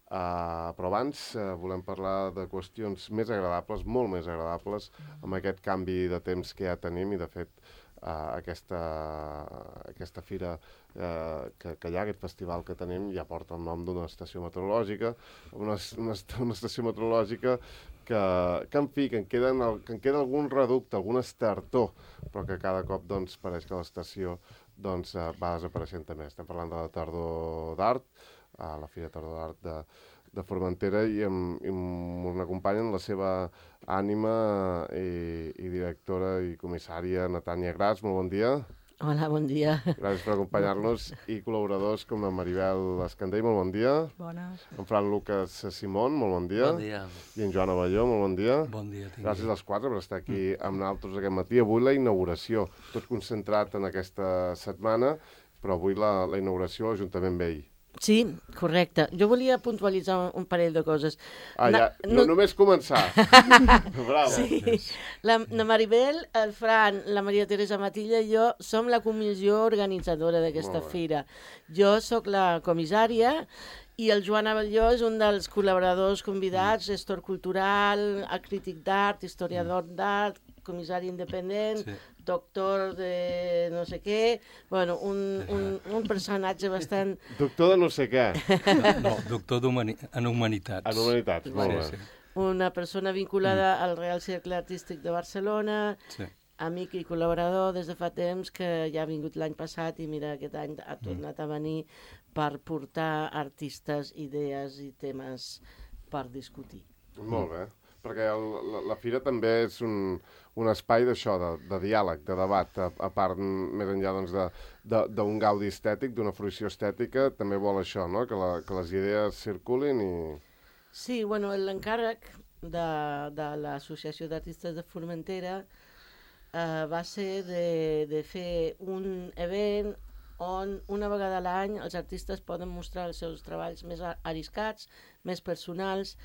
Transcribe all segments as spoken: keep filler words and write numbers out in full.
Uh, però abans uh, volem parlar de qüestions més agradables, molt més agradables, amb aquest canvi de temps que ja tenim i, de fet, uh, aquesta, aquesta fira uh, que, que hi ha, aquest festival que tenim, ja porta el nom d'una estació meteorològica, una, una, una estació meteorològica que, que en fi, que en, queden, que en queda algun reducte, algun estertor, però que cada cop doncs, pareix que l'estació doncs, uh, va desapareixent també. Estem parlant de la Tardor d'Art, a la Fira Tardor d'Art de, de Formentera, i, em, i m'acompanyen la seva ànima i, i directora i comissària Natània Gras. Molt bon dia. Hola, bon dia. Gràcies per acompanyar-nos. I col·laboradors com la Maribel Escandell, molt bon dia. Bones. En Fran Lucas Simón, molt bon dia. Bon dia. I en Joan Abelló, molt bon dia. Bon dia. Tingui. Gràcies als quatre per estar aquí amb nosaltres aquest matí. Avui la inauguració, tot concentrat en aquesta setmana, però avui la, la inauguració a l'Ajuntament Vell. Sí, correcte. Jo volia puntualitzar un parell de coses. Ah, ja, Na, no, no només començar. Bravo. Sí, la, la Maribel, el Fran, la Maria Teresa Matilla i jo som la comissió organitzadora d'aquesta fira. Jo sóc la comissària i el Joan Abelló és un dels col·laboradors convidats, gestor cultural, crític d'art, historiador d'art, comissari independent, sí. Doctor de no sé què, bueno, un, un, un personatge bastant... Doctor de no sé què. No, no doctor en humanitats. En humanitats, molt bé. Sí, sí. Una persona vinculada mm. al Real Cercle Artístic de Barcelona, sí. Amic i col·laborador des de fa temps, que ja ha vingut l'any passat i mira, aquest any ha tornat a venir per portar artistes, idees i temes per discutir. Molt bé. Perquè el, la, la fira també és un, un espai d'això, de, de diàleg, de debat, a, a part, més enllà doncs, d'un gaudi estètic, d'una fruició estètica, també vol això, no? Que, la, que les idees circulin i... Sí, bueno, l'encàrrec de, de l'Associació d'Artistes de Formentera eh, va ser de, de fer un event on una vegada a l'any els artistes poden mostrar els seus treballs més arriscats, més personals,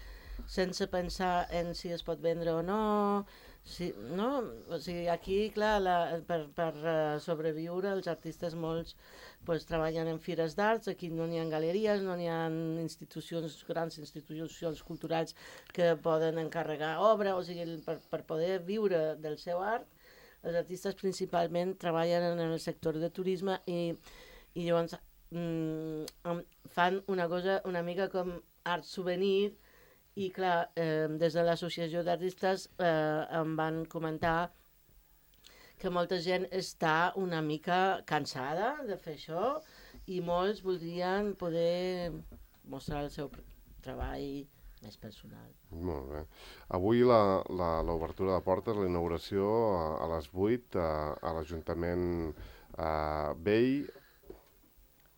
sense pensar en si es pot vendre o no, si, no? O sigui, aquí, clar, la, per, per uh, sobreviure, els artistes molts pues, treballen en fires d'arts, aquí no n'hi ha galeries, no n'hi ha institucions, grans institucions culturals que poden encarregar obra, o sigui, per, per poder viure del seu art, els artistes principalment treballen en el sector de turisme i, i llavors mm, fan una cosa una mica com art souvenir. I clar, eh, des de l'associació d'artistes eh, em van comentar que molta gent està una mica cansada de fer això i molts voldrien poder mostrar el seu treball més personal. Molt bé. Avui l'obertura de portes, la inauguració a, a les vuit a, a l'Ajuntament uh, Vell.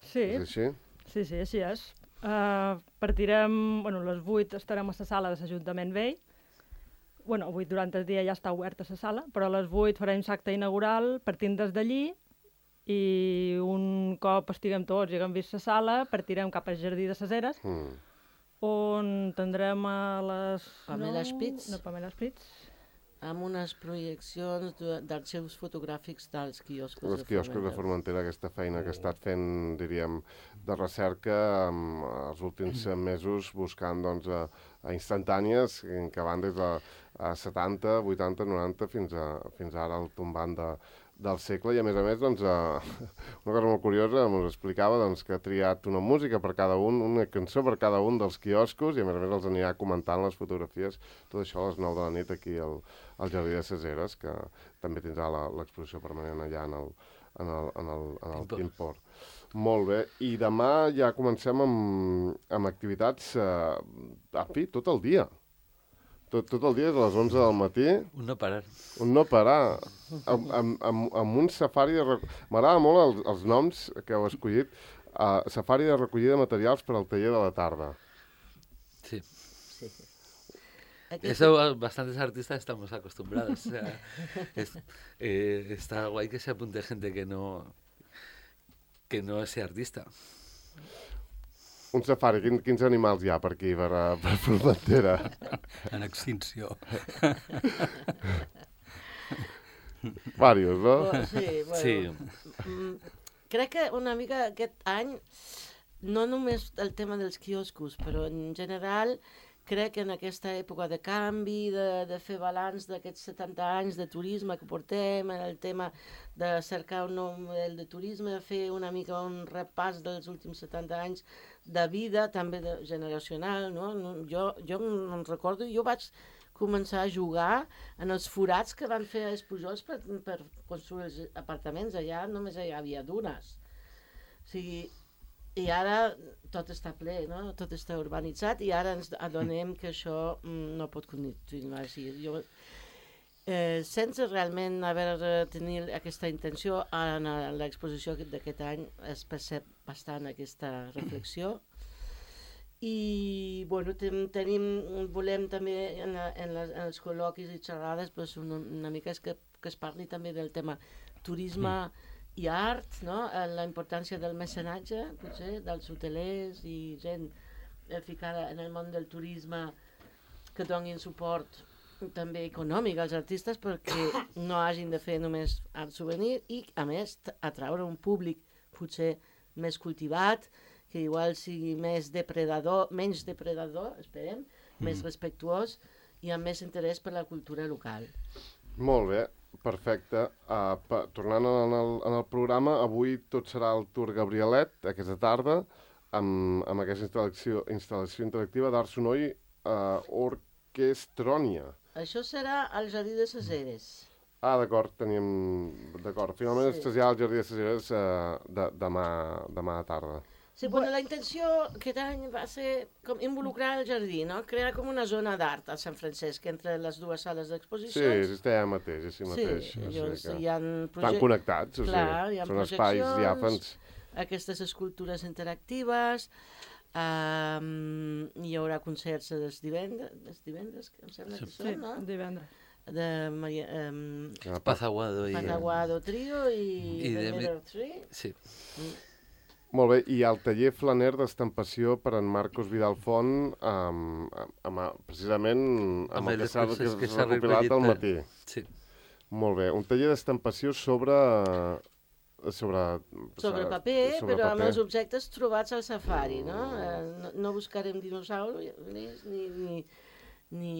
Sí. És així? Sí, sí, així és. Uh, partirem, bueno, a les vuit estarem a la sala de l'Ajuntament Vell. Bueno, avui durant el dia ja està oberta la sala, però a les vuit farem l'acte inaugural partint des d'allí i un cop estiguem tots i haguem vist la sala, partirem cap al Jardí de les Eres, mm. on tindrem a les... Pamela Spitz. No, Pamela Spitz. Amb unes projeccions d'arxius fotogràfics dels quioscos, Els quioscos de Formentera, aquesta feina que ha estat fent, diríem, de recerca um, els últims mesos, buscant doncs, a, a instantànies que van des de a setanta, vuitanta, noranta fins a, fins ara al tombant de, del segle. I a més a més, doncs, uh, una cosa molt curiosa, ens explicava doncs, que ha triat una música per cada un, una cançó per cada un dels quioscos, i a més a més els anirà comentant les fotografies, tot això a les nou de la nit aquí al, al Jardí de les Eres, que també tindrà l'exposició permanent allà en el, en el, en el, en el Timpor. Molt bé, i demà ja comencem amb, amb activitats, eh, a fi, tot el dia. Tot, tot el dia, des de les onze del matí. Un no parar. Un no parar. Amb, amb, amb, amb un safari de... Rec... M'agrada molt els, els noms que heu escollit. Uh, safari de recollida de materials per al taller de la tarda. Sí. Sí. Eso bastantes artistas estamos acostumbrados. O sea, es, eh, está guay que se apunte gente que no, que no sea artista. Un safari, quin, quins animals hi ha per aquí, per, per Formentera? En extinció. Vàrios, no? Sí, bueno. Sí. Mm, crec que una mica aquest any no només el tema dels quioscos, però en general crec que en aquesta època de canvi, de, de fer balanç d'aquests setanta anys de turisme que portem, en el tema de cercar un nou model de turisme, fer una mica un repàs dels últims setanta anys de vida, també de, generacional, no? Jo, jo em recordo, jo vaig començar a jugar en els forats que van fer els Pujols per, per construir els apartaments. Allà només hi havia dunes. O sigui, i ara tot està ple, no? Tot està urbanitzat i ara ens adonem que això mm, no pot continuar així. Jo, eh, sense realment haver de tenir aquesta intenció, en l'exposició d'aquest any es percep bastant aquesta reflexió. I bueno, ten, tenim, volem també en, la, en, les, en els col·loquis i xerrades pues, una, una mica és que, que es parli també del tema turisme mm. i art, no? La importància del mecenatge, potser, dels hotelers i gent ficada en el món del turisme que donin suport també econòmic als artistes perquè no hagin de fer només art souvenir i, a més, atraure un públic potser més cultivat, que igual sigui més depredador, menys depredador, esperem, mm. més respectuós i amb més interès per la cultura local. Molt bé. Perfecte. Uh, pa, tornant en el, en el programa, avui tot serà el Tour Gabrielet, aquesta tarda, amb, amb aquesta instal·lació, instal·lació interactiva d'Art Sonor uh, Orquestrònia. Això serà al Jardí de ses Eres. Ah, d'acord, teníem... D'acord. Finalment sí. Es trasllada al Jardí de ses Eres uh, de, demà, demà a tarda. Sí, bueno, la intenció aquest any va ser com involucrar el jardí, no? Crear com una zona d'art a Sant Francesc entre les dues sales d'exposicions. Sí, està allà mateix, així mateix. Sí, llavors o sigui hi ha projectes... Estan connectats, o Clar, sigui, hi ha són espais diàfans. Aquestes escultures interactives, um, hi haurà concerts els divendres, els divendres, em sembla que són, sí, no? divendres. De Maria, um, Pazaguado i... Pazaguado Trio i, I The de... Mirror Tree. Sí. Mm. Molt bé, i el taller flaner d'estampació per en Marcos Vidal Font, amb, amb, amb, precisament amb, amb el que s'ha recopilat al matí. Sí. Molt bé, un taller d'estampació sobre... Sobre, sobre paper, sobre però paper. amb els objectes trobats al safari, no? Eh, no, no buscarem dinosaures ni, ni, ni, ni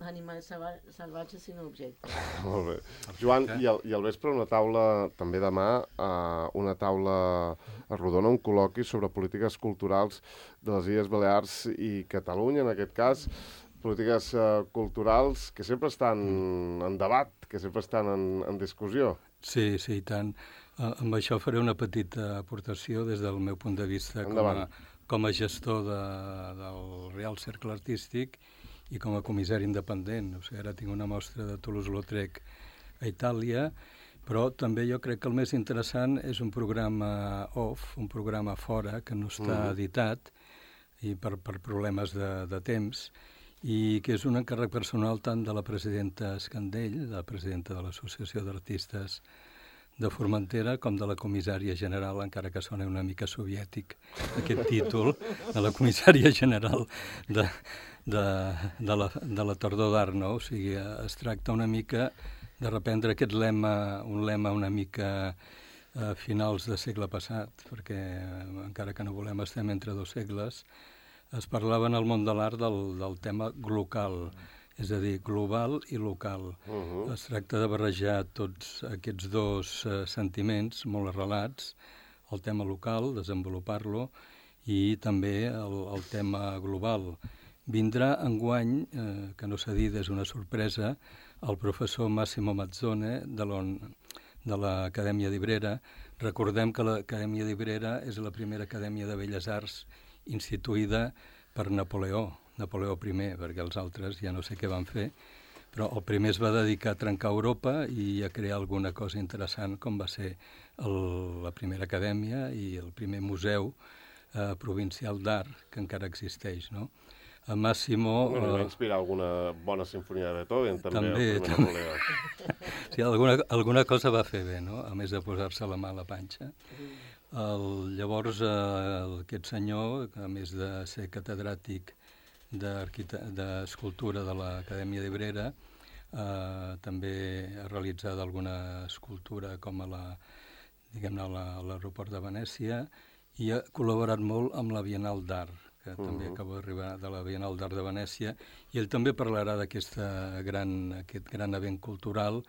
animals salvatges, sinó objectes. Molt bé. Joan, i al, i al vespre una taula, també demà, uh, una taula rodona, un col·loqui sobre polítiques culturals de les Illes Balears i Catalunya, en aquest cas, polítiques uh, culturals que sempre estan en debat, que sempre estan en, en discussió. Sí, sí, i tant. Uh, amb això faré una petita aportació des del meu punt de vista com a, com a gestor de, del Real Cercle Artístic i com a comissari independent. O sigui, ara tinc una mostra de Toulouse-Lautrec a Itàlia, però també jo crec que el més interessant és un programa off, un programa fora, que no està mm. editat i per, per problemes de, de temps, i que és un encàrrec personal tant de la presidenta Escandell, la presidenta de l'Associació d'Artistes de Formentera, com de la comissària general, encara que sona una mica soviètic aquest títol, de la comissària general de, de, de, la, de la tardor d'art, no? O sigui, es tracta una mica de reprendre aquest lema, un lema una mica a finals del segle passat, perquè encara que no volem estem entre dos segles, es parlava en el món de l'art del, del tema local, és a dir, global i local. Uh-huh. Es tracta de barrejar tots aquests dos uh, sentiments molt arrelats, el tema local, desenvolupar-lo, i també el, el tema global. Vindrà enguany, eh, que no s'ha dit, és una sorpresa, el professor Massimo Mazzone de, de l'Acadèmia d'Ibrera. Recordem que l'Acadèmia d'Ibrera és la primera acadèmia de Belles Arts instituïda per Napoleó, Napoleó primer, perquè els altres ja no sé què van fer, però el primer es va dedicar a trencar Europa i a crear alguna cosa interessant, com va ser el, la primera acadèmia i el primer museu eh, provincial d'art, que encara existeix, no? A Massimo... Bueno, va inspirar alguna bona sinfonia de Beethoven, també, també el primer Napoleó. Sí, alguna, alguna cosa va fer bé, no? A més de posar-se la mà a la panxa. El, llavors, eh, aquest senyor, a més de ser catedràtic d'escultura de l'Acadèmia d'Ibrera, eh, també ha realitzat alguna escultura com a la, diguem-ne, a l'aeroport de Venècia i ha col·laborat molt amb la Bienal d'Art, que uh-huh. també acaba d'arribar de la Bienal d'Art de Venècia, i ell també parlarà d'aquest gran, aquest gran event cultural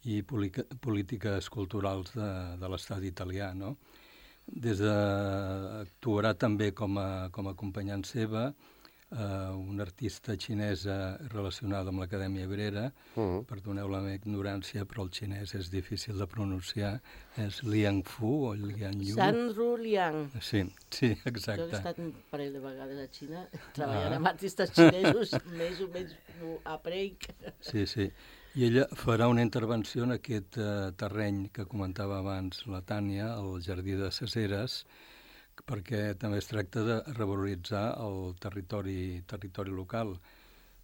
i polítiques culturals de, de l'estat italià, no? Des de, actuarà també com a, com a acompanyant seva eh, una artista xinesa relacionada amb l'Acadèmia Obrera. Uh-huh. Perdoneu la meva ignorància, però el xinès és difícil de pronunciar. És Liang Fu o Liang Yu? Sanru Liang. Sí, sí, exacte. Jo he estat un parell de vegades a Xina, treballant ah. amb artistes xinesos, més o menys a prec. Sí, sí. I ella farà una intervenció en aquest eh, terreny que comentava abans la Tània, el Jardí de ses Eres, perquè també es tracta de revaloritzar el territori, territori local.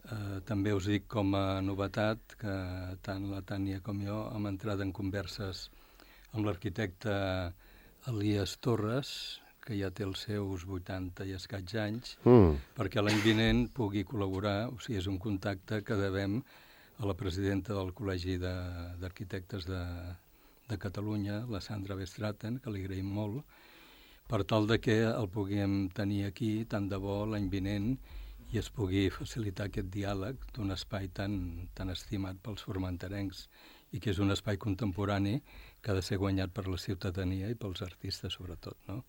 Eh, també us dic com a novetat que tant la Tània com jo hem entrat en converses amb l'arquitecte Elias Torres, que ja té els seus vuitanta i escaig anys, mm. perquè l'any vinent pugui col·laborar, o sigui, és un contacte que devem a la presidenta del Col·legi d'Arquitectes de, de Catalunya, la Sandra Bestraten, que li agraïm molt, per tal de que el puguem tenir aquí tant de bo l'any vinent i es pugui facilitar aquest diàleg d'un espai tan, tan estimat pels formenterencs i que és un espai contemporani que ha de ser guanyat per la ciutadania i pels artistes sobretot, no?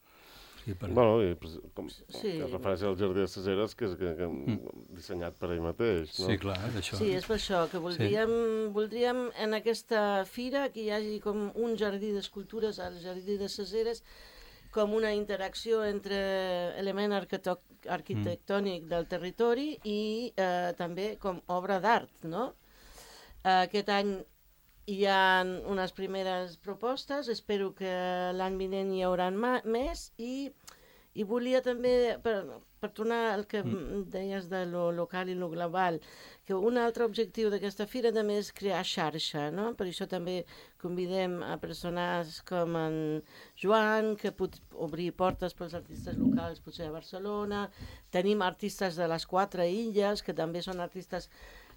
Sí, per... Bueno, i com sí. es referència al Jardí de ses Eres, que és que, que mm. dissenyat per ell mateix, no? Sí, clar, d'això. Sí, és per això que voldríem, sí. voldríem en aquesta fira que hi hagi com un jardí d'escultures al Jardí de ses Eres, com una interacció entre element arquitectònic mm. del territori i eh, també com obra d'art, no? Eh, aquest any hi ha unes primeres propostes, espero que l'any vinent hi haurà més, i, i volia també, per, per tornar al que mm. deies de lo local i lo global, que un altre objectiu d'aquesta fira també és crear xarxa, no? Per això també convidem a persones com en Joan, que pot obrir portes pels artistes locals, potser a Barcelona. Tenim artistes de les quatre illes, que també són artistes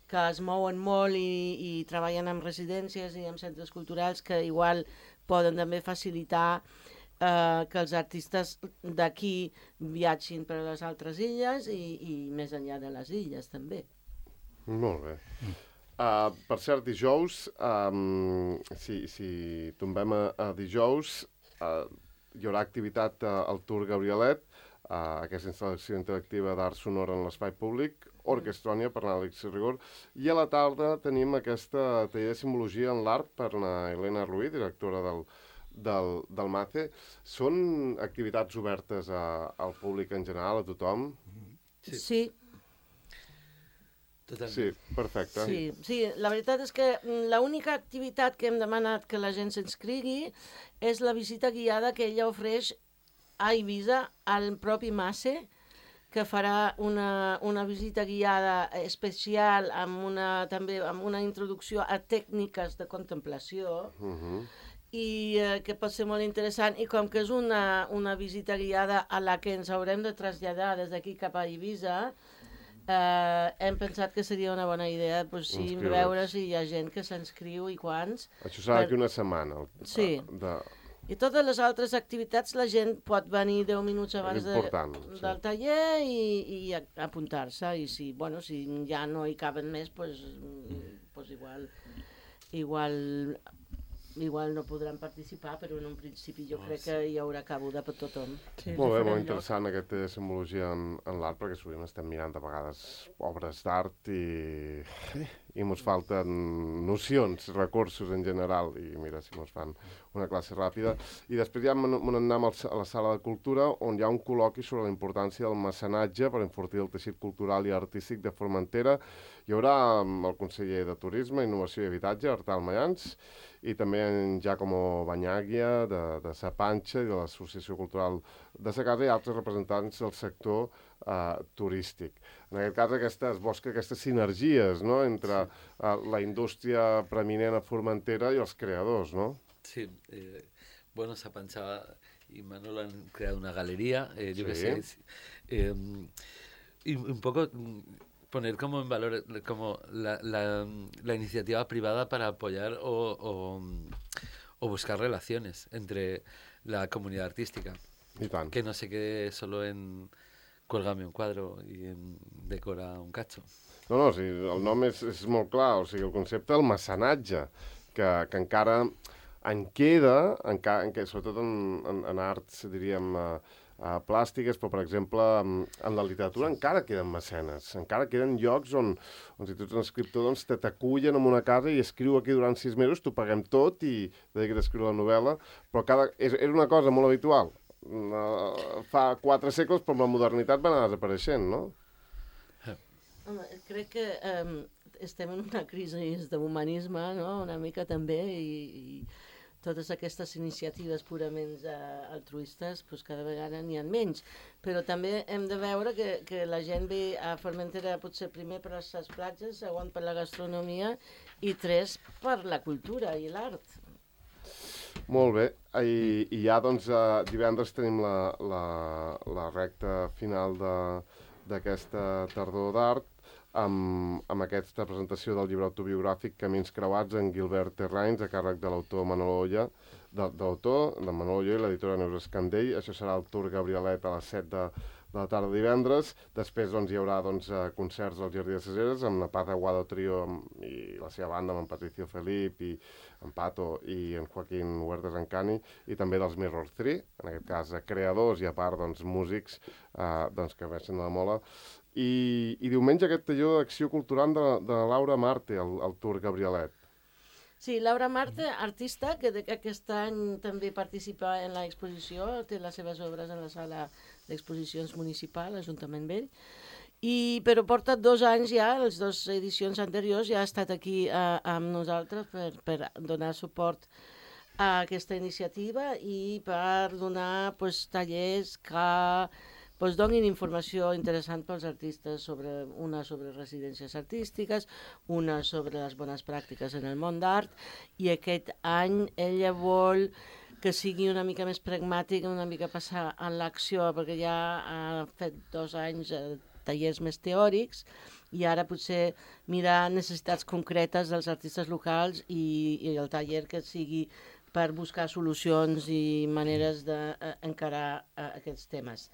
que es mouen molt i, i treballen amb residències i amb centres culturals que igual poden també facilitar eh, que els artistes d'aquí viatgin per a les altres illes i, i més enllà de les illes també. Molt bé. Uh, per cert, dijous, um, si, si tombem a, a dijous, uh, hi haurà activitat uh, al Tour Gabrielet, uh, aquesta instal·lació interactiva d'art sonor en l'espai públic, Orquestrònia per l'Àlex Rigor, i a la tarda tenim aquesta taller de simbologia en l'art per la Helena Ruiz, directora del, del, del MACE. Són activitats obertes a, al públic en general, a tothom? Sí. Sí. Totalment. Sí, perfecte. Sí, sí, la veritat és que l'única activitat que hem demanat que la gent s'inscrigui és la visita guiada que ella ofereix a Eivissa, al propi MACE, que farà una, una visita guiada especial amb una, també amb una introducció a tècniques de contemplació uh-huh. i eh, que pot ser molt interessant, i com que és una, una visita guiada a la que ens haurem de traslladar des d'aquí cap a Eivissa, eh, hem pensat que seria una bona idea pues, sí, veure si hi ha gent que s'inscriu i quants. Això serà d'aquí per... una setmana. El, sí. De... I totes les altres activitats la gent pot venir deu minuts abans de, sí. del taller i, i apuntar-se. I si, bueno, si ja no hi caben més, pues, pues igual, igual, igual no podran participar, però en un principi jo oh, crec sí. que hi haurà cabuda per tothom. Sí, molt bé, molt interessant lloc. Aquesta simbologia en, en l'art, perquè sovint estem mirant a vegades obres d'art i... i mos falten nocions, recursos en general, i mira si mos fan una classe ràpida. I després ja anem a la sala de cultura, on hi ha un col·loqui sobre la importància del mecenatge per enfortir el teixit cultural i artístic de Formentera. Hi haurà el conseller de Turisme, Innovació i Habitatge, Artal Mayans, i també en Giacomo Bagnaglia, de, de Sa Panxa i de l'Associació Cultural de Sa Casa, i altres representants del sector Uh, turístic. En aquest cas, aquesta, es busca aquestes sinergies, no?, entre uh, la indústria preeminent a Formentera i els creadors, no? Sí. Eh, bueno, Sa Panxa y Manolo han creado una galería, eh, yo sí. que sé, eh, y un poco poner como en valor como la, la, la iniciativa privada para apoyar o, o, o buscar relaciones entre la comunidad artística. I tant. Que no se quede solo en cuélgame un cuadro i en decora un cacho. No, no, o sigui, el nom és, és molt clar, o sigui, el concepte del mecenatge, que, que encara en queda, encara, en, sobretot en, en, en arts, diríem, uh, uh, plàstiques, però, per exemple, en, en la literatura encara queden mecenes, encara queden llocs on, on si tu ets un escriptor, doncs t'acullen en una casa i escriu aquí durant sis mesos, t'ho paguem tot i dedica't a escriure la novel·la, però cada, és, era una cosa molt habitual. Uh, fa quatre segles, però amb la modernitat va anar desapareixent, no? Home, crec que um, estem en una crisi d'humanisme, no?, una mica també, i, i totes aquestes iniciatives purament uh, altruistes, pues, cada vegada n'hi ha menys. Però també hem de veure que, que la gent ve a Formentera potser primer per les platges, segon per la gastronomia i tres per la cultura i l'art. Molt bé, i, i ja doncs uh, divendres tenim la, la, la recta final d'aquesta tardor d'art amb, amb aquesta presentació del llibre autobiogràfic Camins creuats en Gilbert Terrains a càrrec de l'autor Manolo Olla, de, de l'autor, de Manolo Olla i l'editora Neus Escandell. Això serà el Tour Gabrielet a les set de, de la tarda divendres. Després doncs, hi haurà doncs, concerts al Jardí de ses Heres amb la Paz Aguado Trio amb, i la seva banda amb en Patricio Felip i en Pato i en Joaquín Huertas Encani, i també dels Mirror tres, en aquest cas creadors i a part doncs, músics eh, doncs, que veixen de la mola. I, i diumenge aquest taller d'acció cultural de, de Laura Marte, el, el Tour Gabrielet. Sí, Laura Marte, artista, que, que aquest any també participa en l'exposició, té les seves obres en la sala d'exposicions municipal, l'Ajuntament Vell, i, però porta dos anys ja, les dues edicions anteriors, ja ha estat aquí eh, amb nosaltres per, per donar suport a aquesta iniciativa i per donar pues, tallers que pues, donin informació interessant pels artistes, sobre, una sobre residències artístiques, una sobre les bones pràctiques en el món d'art, i aquest any ella vol que sigui una mica més pragmàtic, una mica passar en l'acció, perquè ja ha fet dos anys eh, tallers més teòrics, i ara potser mirar necessitats concretes dels artistes locals i, i el taller que sigui per buscar solucions i maneres d'encarar uh, aquests temes.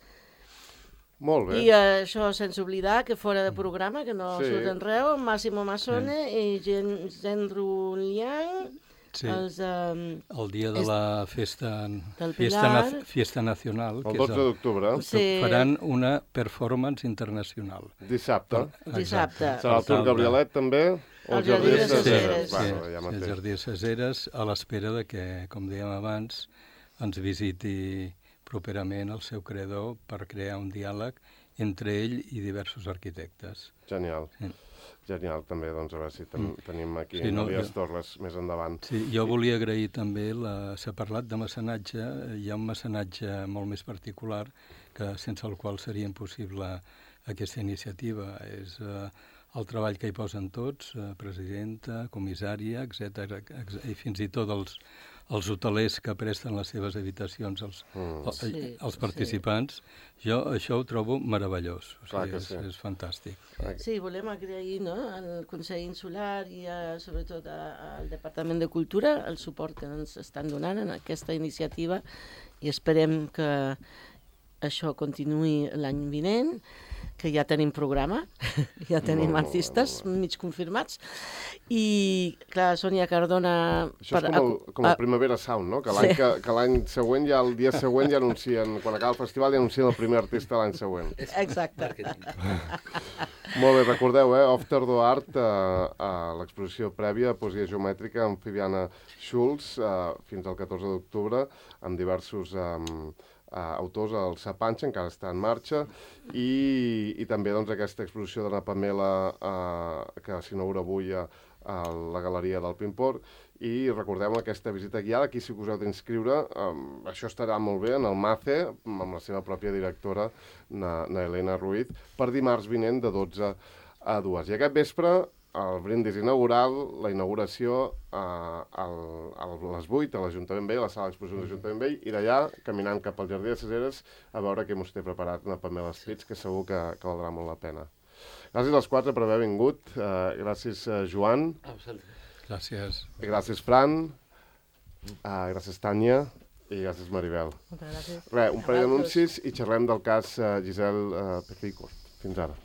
Molt bé. I uh, això sense oblidar que fora de programa, que no sí. surt enreu, Massimo Massone sí. i Gen Gendru Liang, sí. els, um, el dia de la festa, festa, na, fiesta nacional, el dotze d'octubre, sí. faran una performance internacional. Dissabte. Per, Dissabte. Serà el Tour Gabrielet també? O el Jardí de ses Heres. Sí, sí, ja el Jardí de ses Heres, a l'espera de que, com dèiem abans, ens visiti properament el seu creador per crear un diàleg entre ell i diversos arquitectes. Genial. Sí. Genial, també, doncs, a veure si ten, tenim aquí sí, no, Elias Torres més endavant. Sí, jo volia agrair també, la, s'ha parlat de mecenatge, hi ha un mecenatge molt més particular que sense el qual seria impossible aquesta iniciativa. És eh, el treball que hi posen tots, eh, presidenta, comissària, etcètera, i fins i tot els, els hotelers que presten les seves habitacions als, mm. als, sí, als participants. Sí. Jo això ho trobo meravellós, o sigui, és, sí. és fantàstic. Sí, volem agrair, no?, al Consell Insular i a, sobretot a, al Departament de Cultura el suport que ens estan donant en aquesta iniciativa, i esperem que això continuï l'any vinent, que ja tenim programa, ja tenim no, artistes no, no, no. mig confirmats, i clar, Sònia Cardona... Això és com el, com el Primavera Sound, no? Que l'any sí. que, que l'any següent, ja el dia següent ja anuncien, quan acaba el festival ja anuncien el primer artista l'any següent. Exacte. Molt bé, recordeu, eh? After the Art, eh, a l'exposició prèvia de poesia geomètrica amb Fabiana Schulz, eh, fins al catorze d'octubre, amb diversos... Eh, Uh, autors, el Sapanxa, encara està en marxa, i, i també doncs, aquesta exposició de la Pamela uh, que s'inaugura avui a, a la Galeria del Pimpor, i recordeu aquesta visita guiada, aquí si us heu d'inscriure, um, això estarà molt bé en el MACE, amb la seva pròpia directora, na, na Elena Ruiz, per dimarts vinent de dotze a dues. I aquest vespre, el brindis inaugural, la inauguració a, a, a les vuit a l'Ajuntament Vell, a la sala d'exposicions de l'Ajuntament Vell, i d'allà, caminant cap al Jardí de ses Heres, a veure què mos té preparat una Pamela Spitz, que segur que, que valdrà molt la pena. Gràcies als quatre per haver vingut. Uh, gràcies, uh, Joan. Gràcies. Gràcies, Fran. Uh, gràcies, Tània. I gràcies, Maribel. Moltes gràcies. Res, un parell d'anuncis i xerrem del cas uh, Giselle uh, Petrico. Fins ara.